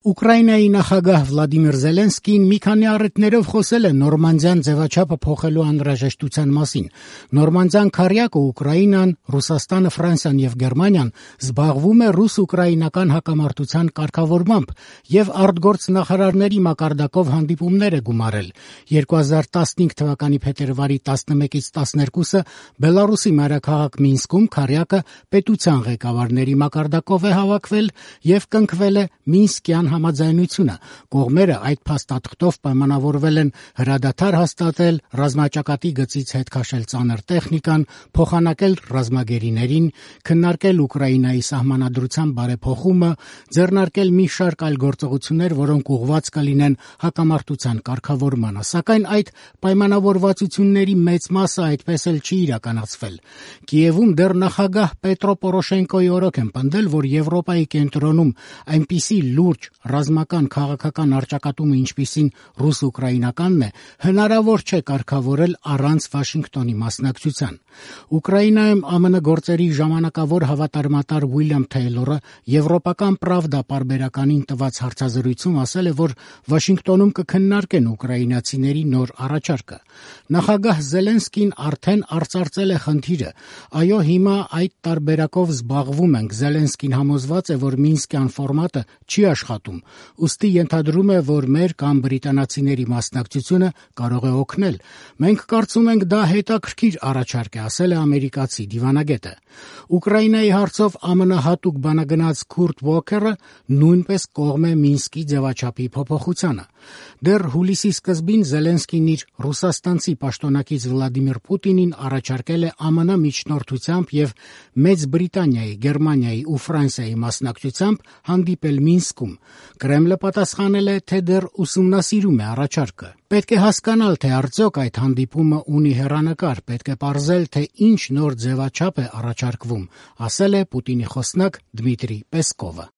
Ուկրաինայի նախագահ Վլադիմիր Զելենսկին մի քանի առիթներով խոսել է Նորմանդիան ձևաչափը փոխելու անհրաժեշտության մասին։ Նորմանդիան քառյակը Ուկրաինան, Ռուսաստանը, Ֆրանսիան եւ Գերմանիան զբաղվում է ռուս-ուկրաինական հակամարտության կարգավորմամբ եւ արտգործնախարարների մակարդակով հանդիպումներ է գումարել։ 2015 թվականի փետրվարի 11-ից 12-ը Բելարուսի մայրաքաղաք Մինսկում քառյակը պետության ղեկավարների մակարդակով է հավաքվել եւ կնքվել է Մինսկյան համաձայնությունը։ Կողմերը այդ փաստաթղթով պայմանավորվել են հրադադար հաստատել, ռազմաճակատի գծից հետ քաշել ծանր տեխնիկան, փոխանակել ռազմագերիներին, քննարկել Ուկրաինայի սահմանադրության բարեփոխումը, ձեռնարկել մի շարք այլ գործողություններ, որոնք ուղղված կլինեն հակամարտության կարգավորմանը։ Սակայն այդ պայմանավորվածությունների մեծ մասը այդպես էլ չի իրականացվել։ Կիևում դեռ նախագահ Պետրո Պորոշենկոյի օրոք են պնդել, որ Եվրոպայի կենտրոնում այնպիսի լուրջ ռազմական քաղաքական առճակատումը, ինչպիսին ռուս-ուկրաինականն է, հնարավոր չէ կարգավորել առանց Վաշինգտոնի մասնակցության։ Ուկրաինայում ԱՄՆ գործերի ժամանակավոր հավատարմատար Ուիլյամ Թեյլորը Եվրոպական Պրավդա պարբերականին տված հարցազրույցում ասել է, որ Վաշինգտոնում կքննարկեն ուկրաինացիների նոր առաջարկը։ Նախագահ Զելենսկին արդեն արծարծել է խնդիրը։ Այո, հիմա այդ տարբերակով զբաղվում ենք։ Զելենսկին համոզված է, որ Մինսկյան ֆորմատը չի աշխատում, ուստի ենթադրում է, որ մեր կամ բրիտանացիների մասնակցությունը կարող է օգնել։ Մենք կարծում ենք, դա հետաքրքիր առաջարկ է, ասել է ամերիկացի դիվանագետը։ Ուկրաինայի հարցով ԱՄՆ հատուկ բանագնաց Քուրտ Ուոքերը նույնպես կողմ է Մինսկի ձևաչափի փոփոխությանը։ Դեռ հուլիսի սկզբին Զելենսկին իր ռուսաստանցի պաշտոնակից Վլադիմիր Պուտինին առաջարկել է ԱՄՆ միջնորդությամբ եւ Մեծ Բրիտանիայի, Գերմանիայի ու Ֆրանսիայի մասնակցությամբ հանդիպել Մինսկում։ Կրեմլը պատասխանել է, թե դեռ ուսումնասիրում է առաջարկը։ Պետք է հասկանալ, թե արդյոք այդ հանդիպումը ունի հեռանկար, պետք է պարզել, թե ինչ նոր ձևաչափ է առաջարկվում, ասել է Պուտինի խոսնակ Դմիտրի Պեսկովը։